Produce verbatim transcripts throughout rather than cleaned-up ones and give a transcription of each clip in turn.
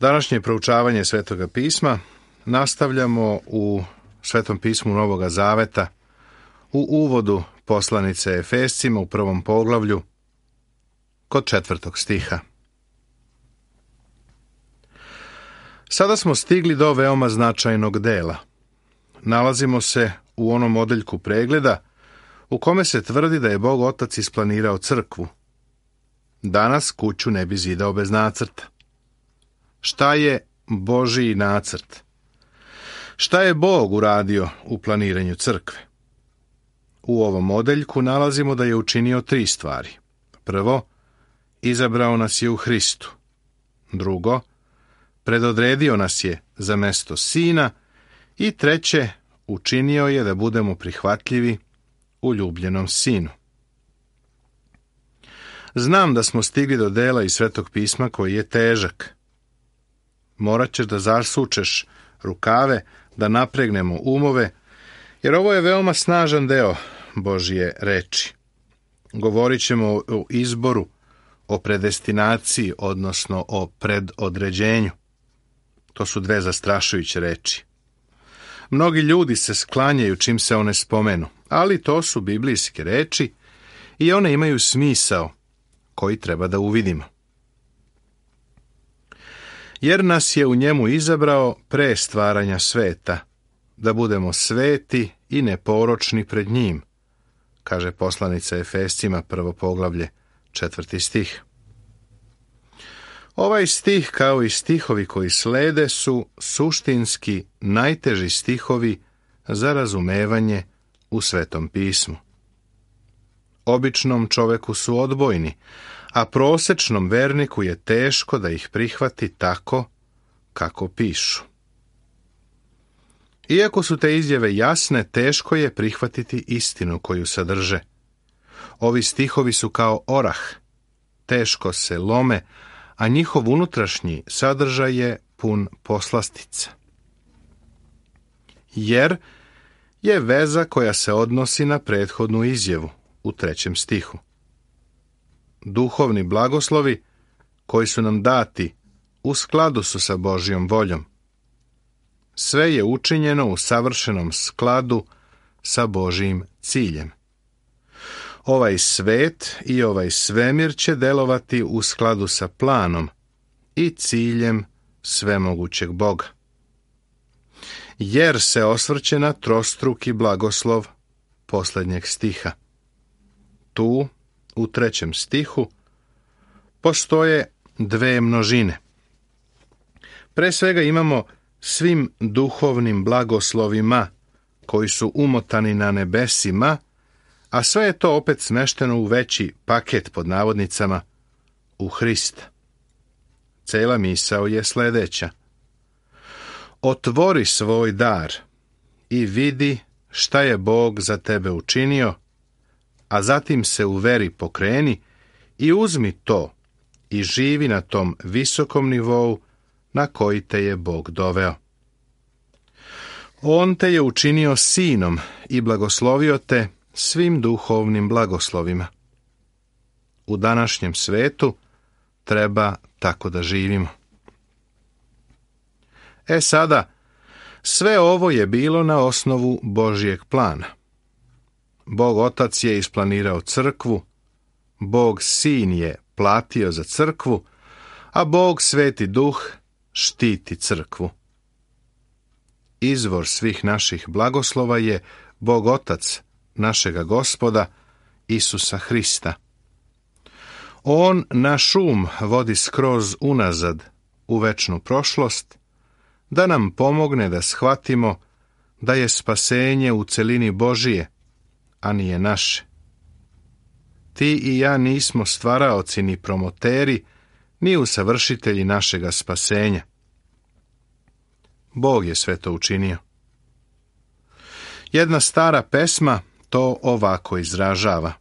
Današnje proučavanje Svetoga pisma nastavljamo u Svetom pismu Novoga Zaveta u uvodu poslanice Efescima u prvom poglavlju kod četvrtog stiha. Sada smo stigli do veoma značajnog dela. Nalazimo se u onom odeljku pregleda u kome se tvrdi da je Bog Otac isplanirao crkvu. Danas kuću ne bi zidao bez nacrta. Šta je Božiji nacrt? Šta je Bog uradio u planiranju crkve? U ovom odeljku nalazimo da je učinio tri stvari. Prvo, izabrao nas je u Hristu. Drugo, predodredio nas je za mesto Sina. I treće, učinio je da budemo prihvatljivi u ljubljenom Sinu. Znam da smo stigli do dela iz Svetog pisma koji je težak. Morat ćeš da zasučeš rukave, da napregnemo umove, jer ovo je veoma snažan deo Božje reči. Govorit ćemo o izboru, o predestinaciji, odnosno o predodređenju. To su dve zastrašujuće reči. Mnogi ljudi se sklanjaju čim se one spomenu, ali to su biblijske reči i one imaju smisao koji treba da uvidimo. Jer nas je u njemu izabrao pre stvaranja sveta, da budemo sveti i neporočni pred njim, kaže poslanica Efescima, prvo poglavlje, četvrti stih. Ovaj stih, kao i stihovi koji slede, su suštinski najteži stihovi za razumevanje u Svetom pismu. Običnom čoveku su odbojni, a prosečnom verniku je teško da ih prihvati tako kako pišu. Iako su te izjave jasne, teško je prihvatiti istinu koju sadrže. Ovi stihovi su kao orah, teško se lome, a njihov unutrašnji sadržaj je pun poslastica. Jer je veza koja se odnosi na prethodnu izjavu u trećem stihu. Duhovni blagoslovi koji su nam dati u skladu su sa Božjom voljom. Sve je učinjeno u savršenom skladu sa Božjim ciljem. Ovaj svet i ovaj svemir će delovati u skladu sa planom i ciljem svemogućeg Boga. Jer se osvrće na trostruki blagoslov posljednjeg stiha. Tu, u trećem stihu, postoje dve množine. Pre svega imamo svim duhovnim blagoslovima koji su umotani na nebesima, a sve je to opet smešteno u veći paket pod navodnicama u Hrista. Cela misao je sledeća. Otvori svoj dar i vidi šta je Bog za tebe učinio, a zatim se u veri pokreni i uzmi to i živi na tom visokom nivou na koji te je Bog doveo. On te je učinio sinom i blagoslovio te svim duhovnim blagoslovima. U današnjem svetu treba tako da živimo. E sada, sve ovo je bilo na osnovu Božjeg plana. Bog Otac je isplanirao crkvu, Bog Sin je platio za crkvu, a Bog Sveti Duh štiti crkvu. Izvor svih naših blagoslova je Bog Otac, našega Gospoda, Isusa Hrista. On naš um vodi skroz unazad u večnu prošlost, da nam pomogne da shvatimo da je spasenje u celini Božije, a nije naše. Ti i ja nismo stvaraoci ni promoteri, ni usavršitelji našega spasenja. Bog je sve to učinio. Jedna stara pesma to ovako izražava.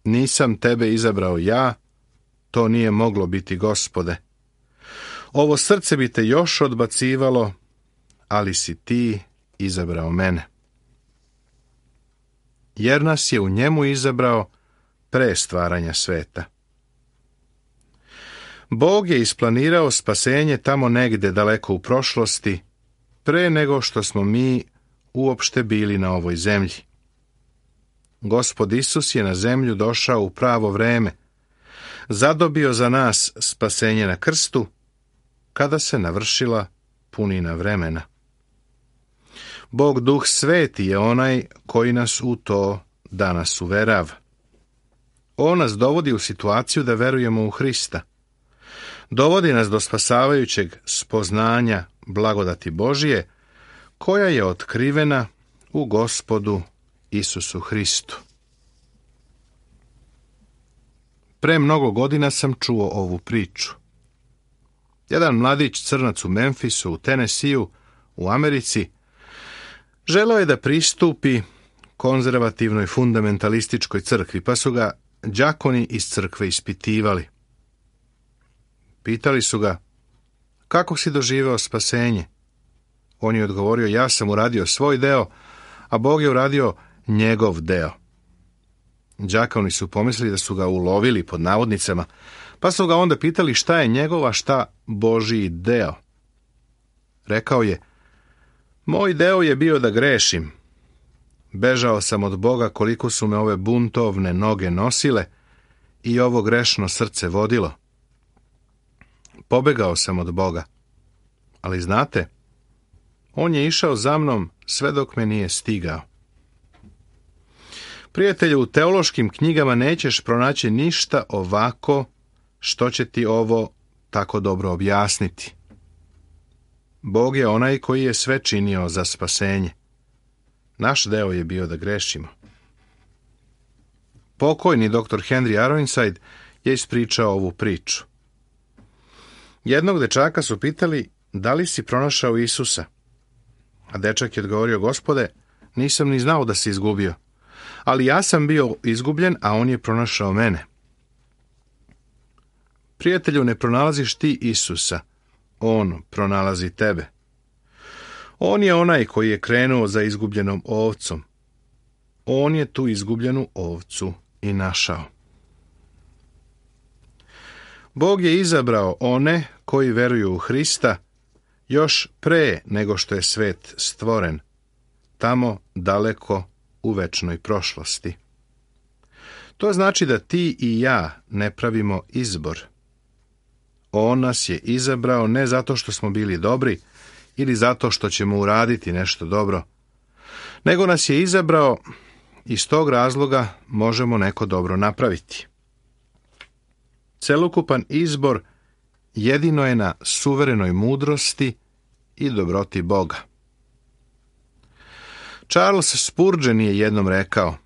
Nisam tebe izabrao ja, to nije moglo biti, Gospode. Ovo srce bi te još odbacivalo, ali si ti izabrao mene. Jer nas je u njemu izabrao pre stvaranja sveta. Bog je isplanirao spasenje tamo negde daleko u prošlosti, pre nego što smo mi uopšte bili na ovoj zemlji. Gospod Isus je na zemlju došao u pravo vreme, zadobio za nas spasenje na krstu, kada se navršila punina vremena. Bog Duh Sveti je onaj koji nas u to danas uverava. On nas dovodi u situaciju da verujemo u Hrista. Dovodi nas do spasavajućeg spoznanja blagodati Božije, koja je otkrivena u Gospodu Isusu Hristu. Pre mnogo godina sam čuo ovu priču. Jedan mladić crnac u Memphisu, u Tennesseeu, u Americi, želeo je da pristupi konzervativnoj fundamentalističkoj crkvi, pa su ga đakoni iz crkve ispitivali. Pitali su ga, kako si doživeo spasenje? On je odgovorio, ja sam uradio svoj deo, a Bog je uradio njegov deo. Đakoni su pomislili da su ga ulovili pod navodnicama, pa su ga onda pitali šta je njegov, a šta Božiji deo. Rekao je, moj deo je bio da grešim. Bežao sam od Boga koliko su me ove buntovne noge nosile i ovo grešno srce vodilo. Pobegao sam od Boga. Ali znate, on je išao za mnom sve dok me nije stigao. Prijatelju, u teološkim knjigama nećeš pronaći ništa ovako što će ti ovo tako dobro objasniti. Bog je onaj koji je sve činio za spasenje. Naš deo je bio da grešimo. Pokojni doktor Henry Aronside je ispričao ovu priču. Jednog dečaka su pitali, da li si pronašao Isusa? A dečak je odgovorio, Gospode, nisam ni znao da si izgubio. Ali ja sam bio izgubljen, a on je pronašao mene. Prijatelju, ne pronalaziš ti Isusa, on pronalazi tebe. On je onaj koji je krenuo za izgubljenom ovcom. On je tu izgubljenu ovcu i našao. Bog je izabrao one koji veruju u Hrista još pre nego što je svet stvoren, tamo daleko u večnoj prošlosti. To znači da ti i ja ne pravimo izbor. On nas je izabrao ne zato što smo bili dobri ili zato što ćemo uraditi nešto dobro, nego nas je izabrao iz tog razloga možemo neko dobro napraviti. Celokupan izbor jedino je na suverenoj mudrosti i dobroti Boga. Charles Spurgeon je jednom rekao,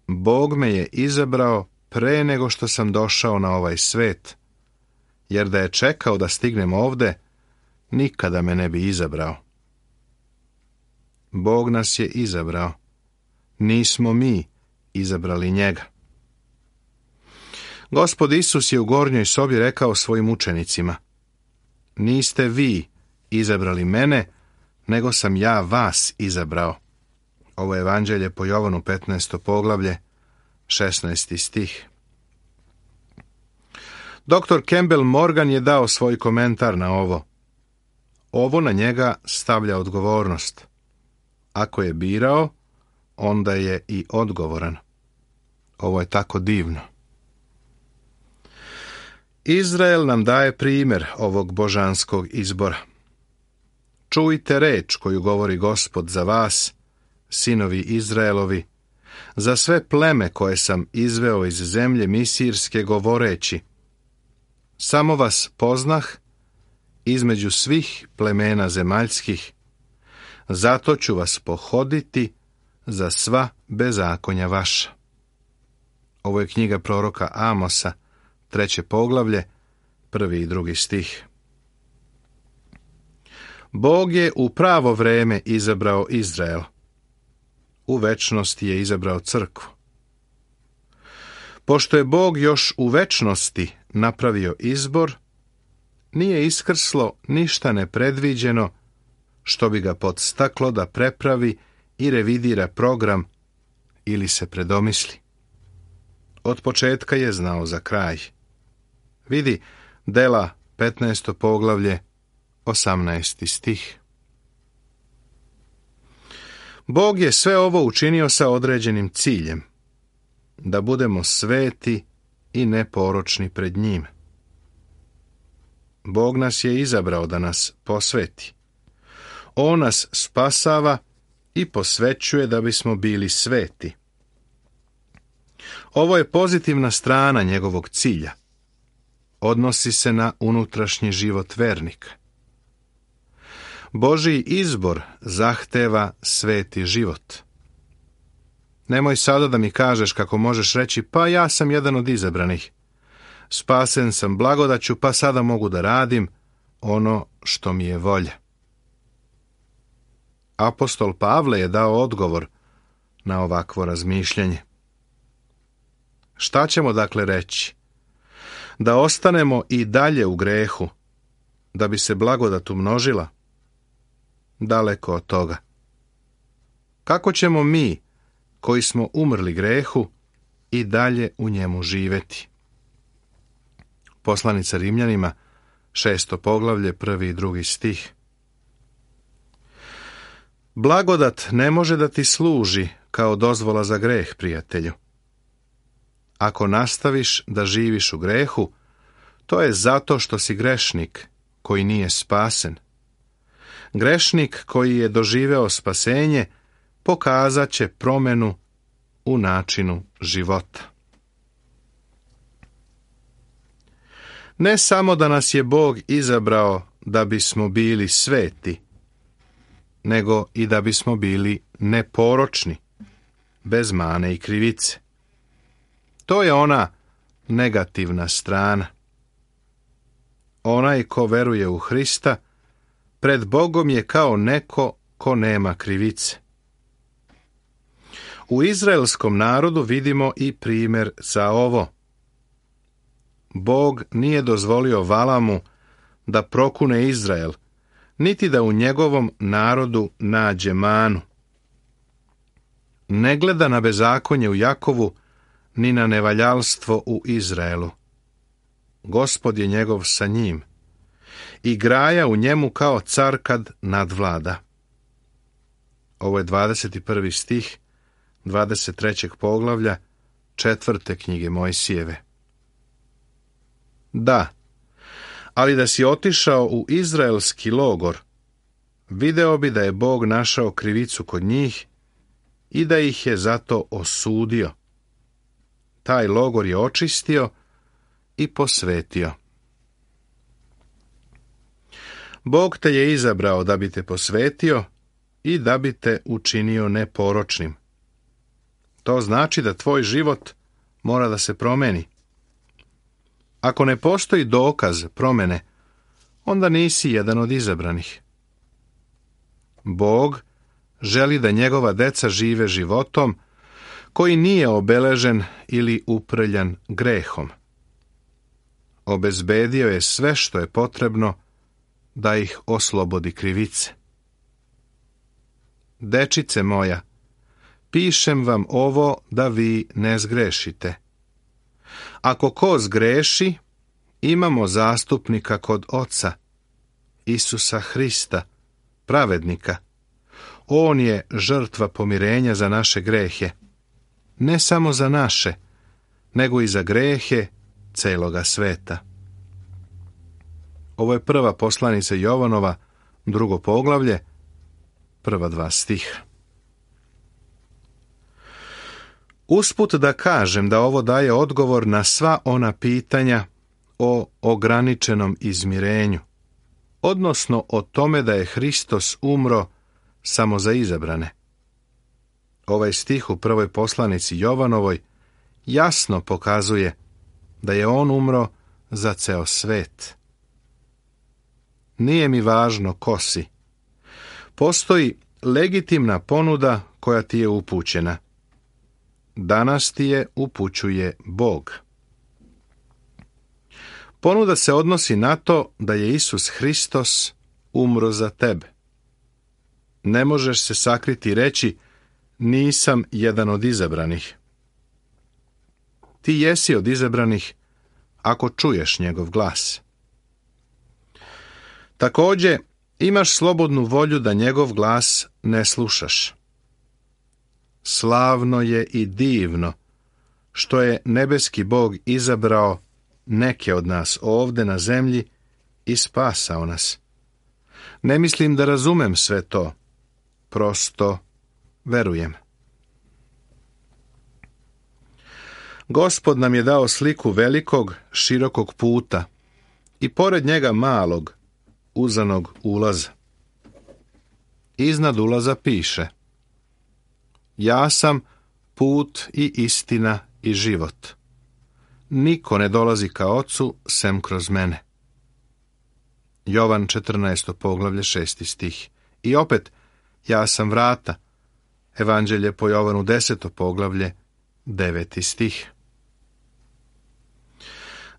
Bog me je izabrao pre nego što sam došao na ovaj svet, jer da je čekao da stignem ovde, nikada me ne bi izabrao. Bog nas je izabrao. Nismo mi izabrali njega. Gospod Isus je u gornjoj sobi rekao svojim učenicima, niste vi izabrali mene, nego sam ja vas izabrao. Ovo je evanđelje po Jovanu petnaesto poglavlje, šesnaesti stih. doktor Campbell Morgan je dao svoj komentar na ovo. Ovo na njega stavlja odgovornost. Ako je birao, onda je i odgovoran. Ovo je tako divno. Izrael nam daje primjer ovog božanskog izbora. Čujte reč koju govori Gospod za vas, sinovi Izraelovi, za sve pleme koje sam izveo iz zemlje misirske govoreći, samo vas poznah između svih plemena zemaljskih, zato ću vas pohoditi za sva bezakonja vaša. Ovo je knjiga proroka Amosa, treće poglavlje, prvi i drugi stih. Bog je u pravo vreme izabrao Izrael. U večnosti je izabrao crkvu. Pošto je Bog još u večnosti napravio izbor, nije iskrslo ništa nepredviđeno što bi ga podstaklo da prepravi i revidira program ili se predomisli. Od početka je znao za kraj. Vidi, Dela, petnaesto poglavlje, osamnaesti stih. Bog je sve ovo učinio sa određenim ciljem, da budemo sveti i neporočni pred njim. Bog nas je izabrao da nas posveti. On nas spasava i posvećuje da bismo bili sveti. Ovo je pozitivna strana njegovog cilja. Odnosi se na unutrašnji život vernika. Božji izbor zahteva sveti život. Nemoj sada da mi kažeš kako možeš reći, pa ja sam jedan od izabranih. Spasen sam blagodaću, pa sada mogu da radim ono što mi je volja. Apostol Pavle je dao odgovor na ovakvo razmišljanje. Šta ćemo dakle reći? Da ostanemo i dalje u grehu, da bi se blagodat umnožila? Daleko od toga. Kako ćemo mi, koji smo umrli grehu, i dalje u njemu živeti? Poslanica Rimljanima, šesto poglavlje, prvi i drugi stih. Blagodat ne može da ti služi kao dozvola za greh, prijatelju. Ako nastaviš da živiš u grehu, to je zato što si grešnik koji nije spasen. Grešnik koji je doživeo spasenje pokazat će promjenu u načinu života. Ne samo da nas je Bog izabrao da bismo bili sveti, nego i da bismo bili neporočni, bez mane i krivice. To je ona negativna strana. Onaj ko veruje u Hrista, pred Bogom je kao neko ko nema krivice. U izraelskom narodu vidimo i primjer za ovo. Bog nije dozvolio Valamu da prokune Izrael, niti da u njegovom narodu nađe manu. Ne gleda na bezakonje u Jakovu, ni na nevaljalstvo u Izraelu. Gospod je njegov sa njim i graja u njemu kao car kad nadvlada. Ovo je dvadeset prvi stih dvadeset trećeg poglavlja četvrte knjige Mojsijeve. Da, ali da si otišao u izraelski logor, video bi da je Bog našao krivicu kod njih i da ih je zato osudio. Taj logor je očistio i posvetio. Bog te je izabrao da bi te posvetio i da bi te učinio neporočnim. To znači da tvoj život mora da se promeni. Ako ne postoji dokaz promjene, onda nisi jedan od izabranih. Bog želi da njegova deca žive životom koji nije obeležen ili uprljan grehom. Obezbedio je sve što je potrebno da ih oslobodi krivice. Dečice moja, pišem vam ovo da vi ne zgrešite. Ako ko zgreši, imamo zastupnika kod Oca, Isusa Hrista, pravednika. On je žrtva pomirenja za naše grehe, ne samo za naše, nego i za grehe celoga sveta. Ovo je prva poslanica Jovanova, drugo poglavlje, prva dva stiha. Usput da kažem da ovo daje odgovor na sva ona pitanja o ograničenom izmirenju, odnosno o tome da je Hristos umro samo za izabrane. Ovaj stih u prvoj poslanici Jovanovoj jasno pokazuje da je on umro za ceo svet. Nije mi važno ko si. Postoji legitimna ponuda koja ti je upućena. Danas ti je upućuje Bog. Ponuda se odnosi na to da je Isus Hristos umro za tebe. Ne možeš se sakriti i reći, nisam jedan od izabranih. Ti jesi od izabranih ako čuješ njegov glas. Također, imaš slobodnu volju da njegov glas ne slušaš. Slavno je i divno što je nebeski Bog izabrao neke od nas ovdje na zemlji i spasao nas. Ne mislim da razumem sve to, prosto verujem. Gospod nam je dao sliku velikog, širokog puta i pored njega malog, uzanog ulaza. Iznad ulaza piše: ja sam put i istina i život. Niko ne dolazi ka Ocu sem kroz mene. Jovan četrnaesto poglavlje šesti stih. I opet, ja sam vrata. Evanđelje po Jovanu deseto poglavlje deveti stih.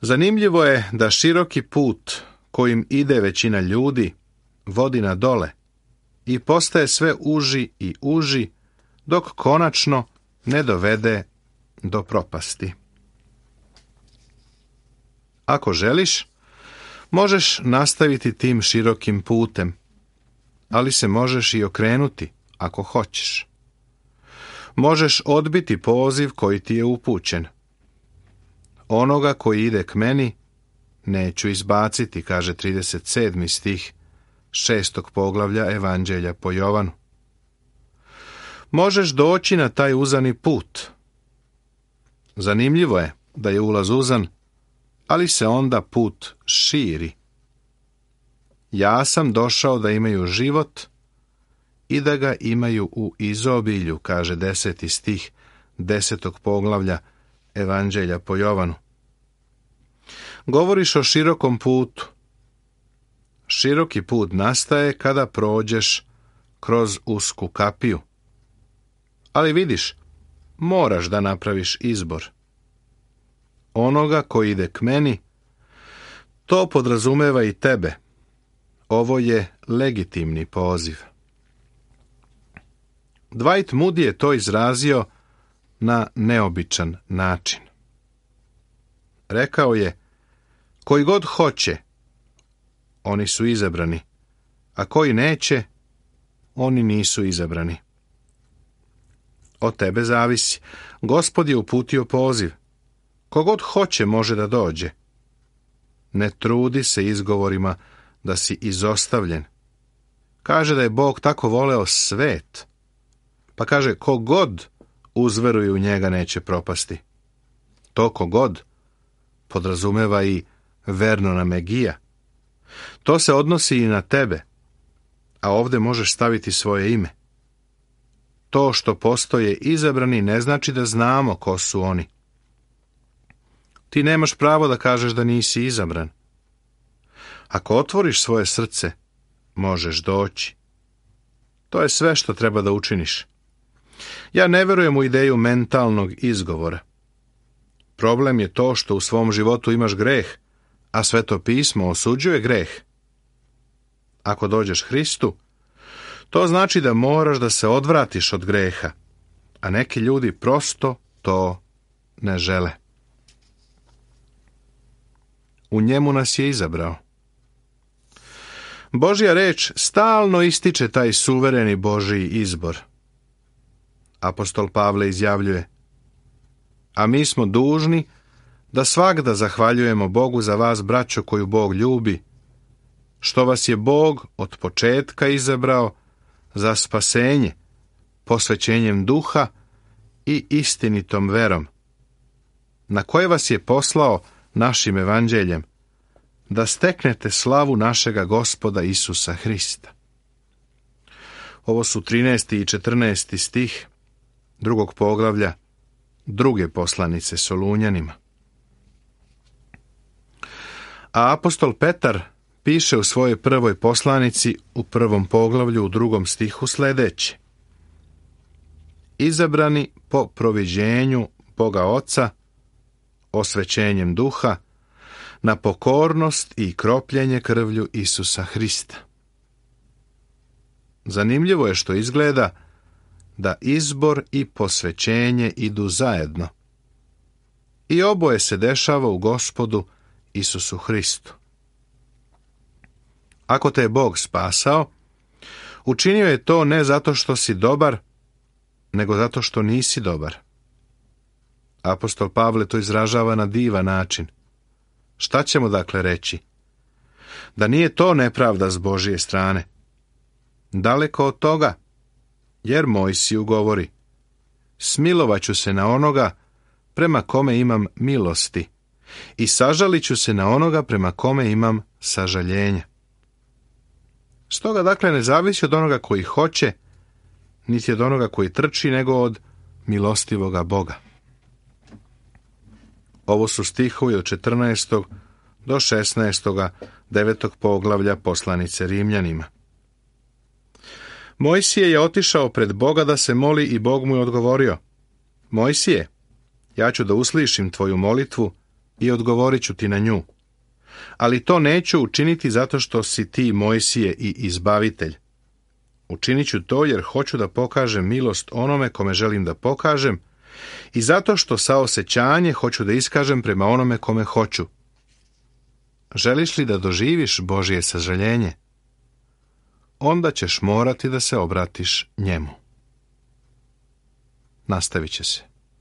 Zanimljivo je da široki put kojim ide većina ljudi vodi na dole i postaje sve uži i uži dok konačno ne dovede do propasti. Ako želiš, možeš nastaviti tim širokim putem, ali se možeš i okrenuti ako hoćeš. Možeš odbiti poziv koji ti je upućen. Onoga koji ide k meni neću izbaciti, kaže trideset sedmi stih šestog poglavlja Evanđelja po Jovanu. Možeš doći na taj uzani put. Zanimljivo je da je ulaz uzan, ali se onda put širi. Ja sam došao da imaju život i da ga imaju u izobilju, kaže deseti stih desetog poglavlja Evanđelja po Jovanu. Govoriš o širokom putu. Široki put nastaje kada prođeš kroz usku kapiju. Ali vidiš, moraš da napraviš izbor. Onoga koji ide k meni, to podrazumeva i tebe. Ovo je legitimni poziv. Dwight Moody je to izrazio na neobičan način. Rekao je: koji god hoće, oni su izabrani, a koji neće, oni nisu izabrani. Od tebe zavisi. Gospod je uputio poziv. Kogod hoće može da dođe. Ne trudi se izgovorima da si izostavljen. Kaže da je Bog tako voleo svet, pa kaže kogod uzveruje u njega neće propasti. To kogod podrazumeva i Vernona Megija. To se odnosi i na tebe, a ovdje možeš staviti svoje ime. To što postoje izabrani ne znači da znamo ko su oni. Ti nemaš pravo da kažeš da nisi izabran. Ako otvoriš svoje srce, možeš doći. To je sve što treba da učiniš. Ja ne verujem u ideju mentalnog izgovora. Problem je to što u svom životu imaš greh, a Sveto pismo osuđuje greh. Ako dođeš Hristu, to znači da moraš da se odvratiš od greha, a neki ljudi prosto to ne žele. U njemu nas je izabrao. Božja reč stalno ističe taj suvereni Božji izbor. Apostol Pavle izjavljuje: a mi smo dužni da svagda zahvaljujemo Bogu za vas, braćo, koju Bog ljubi, što vas je Bog od početka izabrao za spasenje, posvećenjem duha i istinitom verom, na koje vas je poslao našim evanđeljem, da steknete slavu našega Gospoda Isusa Hrista. Ovo su trinaesti i četrnaesti stih drugog poglavlja druge poslanice Solunjanima. A apostol Petar piše u svojoj prvoj poslanici u prvom poglavlju u drugom stihu sljedeće: izabrani po proviđenju Boga Oca, osvećenjem duha, na pokornost i kropljenje krvlju Isusa Hrista. Zanimljivo je što izgleda da izbor i posvećenje idu zajedno. I oboje se dešava u Gospodu Isusu Hristu. Ako te je Bog spasao, učinio je to ne zato što si dobar, nego zato što nisi dobar. Apostol Pavle to izražava na divan način. Šta ćemo dakle reći? Da nije to nepravda s Božije strane. Daleko od toga, jer Mojsiju govori: smilovaću se na onoga prema kome imam milosti i sažalit ću se na onoga prema kome imam sažaljenje. Stoga dakle ne zavisi od onoga koji hoće, niti od onoga koji trči, nego od milostivoga Boga. Ovo su stihovi od četrnaestog do šesnaestog devetog poglavlja poslanice Rimljanima. Mojsije je otišao pred Boga da se moli i Bog mu je odgovorio: Mojsije, ja ću da uslišim tvoju molitvu i odgovorit ću ti na nju. Ali to neću učiniti zato što si ti, Mojsije, i izbavitelj. Učinit ću to jer hoću da pokažem milost onome kome želim da pokažem i zato što saosećanje hoću da iskažem prema onome kome hoću. Želiš li da doživiš Božje sažaljenje? Onda ćeš morati da se obratiš njemu. Nastavit će se.